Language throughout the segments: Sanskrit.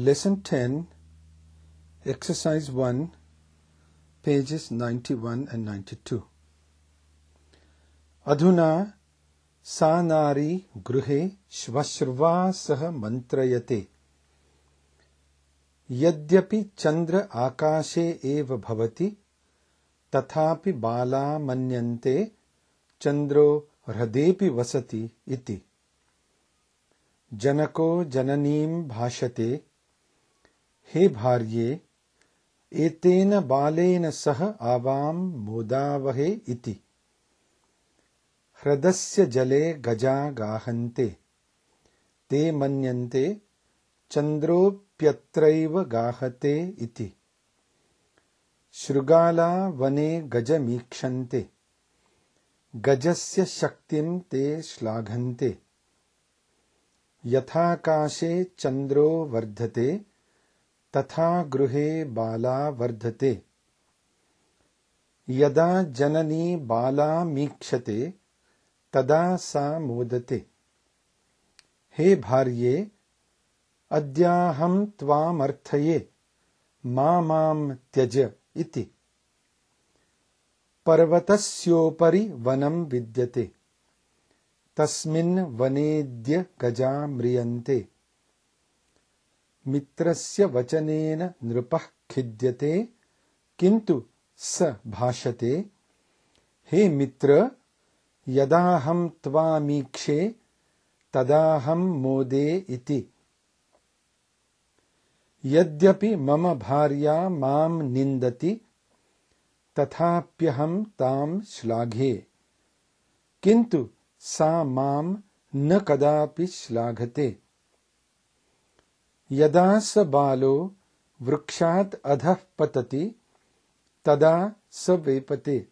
Lesson 10, Exercise 1, pages 91 and 92. Adhuna sa nari gruhe shvashruva sah mantrayate. Yadyapi chandra akashe eva bhavati, tathapi bala manyante chandro hradepi vasati iti. Janako jananim bhashate. हे भार्ये एतेन बालेन सह आवां मोदावहे इति. ह्रदस्य जले गजा गाहन्ते ते मन्यन्ते चन्द्रोऽप्यत्रैव गाहते इति. शृगाला वने गजमीक्षन्ते गजस्य शक्तिं ते श्लाघन्ते. यथाकाशे चन्द्रो वर्धते तथा गृहे बाला वर्धते. यदा जननी बालामीक्षते तदा सा मोदते. हे भार्ये अद्याहं त्वामर्थये मां त्यज इति. पर्वतस्योपरि वनं विद्यते तस्मिन् वनेऽद्य गजा म्रियन्ते. मित्रस्य वचनेन नृपः खिद्यते किन्तु स भाषते. हे मित्र यदाहं त्वामीक्षे तदाहं मोदे इति. यद्यपि मम भार्या मां निन्दति तथाप्यहं तां श्लाघे किन्तु सा मां न कदापि श्लाघते. यदा स बालो वृक्षात् अधः पतति तदा स वेपते.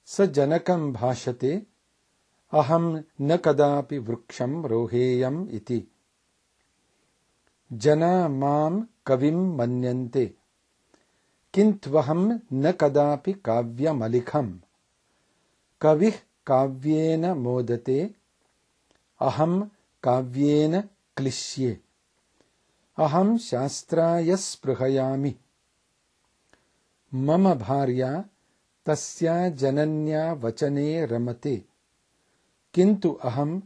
स जनकं भाषते अहं न कदापि वृक्षं रोहेयम् इति. जना मां कविं मन्यन्ते किन्त्वहं न कदापि काव्यमलिखम्. कविः काव्येन मोदते अहं काव्येन क्लिश्ये. अहं शास्त्राय स्पृहयामि. मम भार्या तस्या जनन्या वचने रमते किन्तु अहं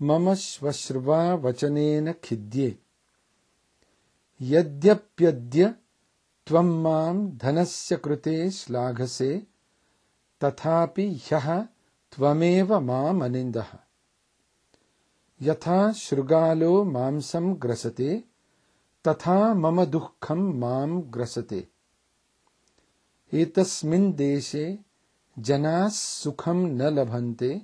मम श्वश्रुवा वचनेन खिद्ये. यद्यप्यद्य त्वं मां धनस्य कृते श्लाघसे तथापि ह्यः त्वमेव माम् अनिन्दः. यथा शृगालो मांसं ग्रसते तथा मम दुःखं मां ग्रसते. एतस्मिन् देशे जनाः सुखं न लभन्ते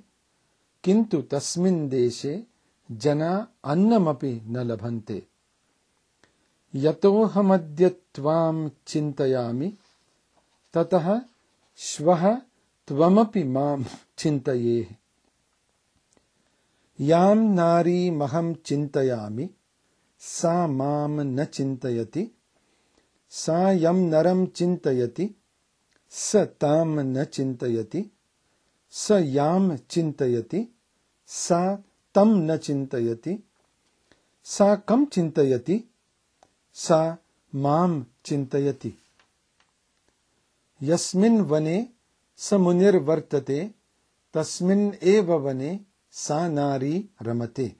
किन्तु तस्मिन् देशे जना अन्नमपि न लभन्ते. यतोऽहमद्य त्वां चिन्तयामि ततः श्वः त्वमपि मां चिन्तयेः. यां नारीमहं चिन्तयामि सा मां न चिन्तयति. सा यं नरं चिन्तयति स तां न चिन्तयति. स यां चिन्तयति सा तं न चिन्तयति. सा कं चिन्तयति सा मां चिन्तयति. यस्मिन् वने स मुनिर्वर्तते तस्मिन् एव वने सा नारी रमते.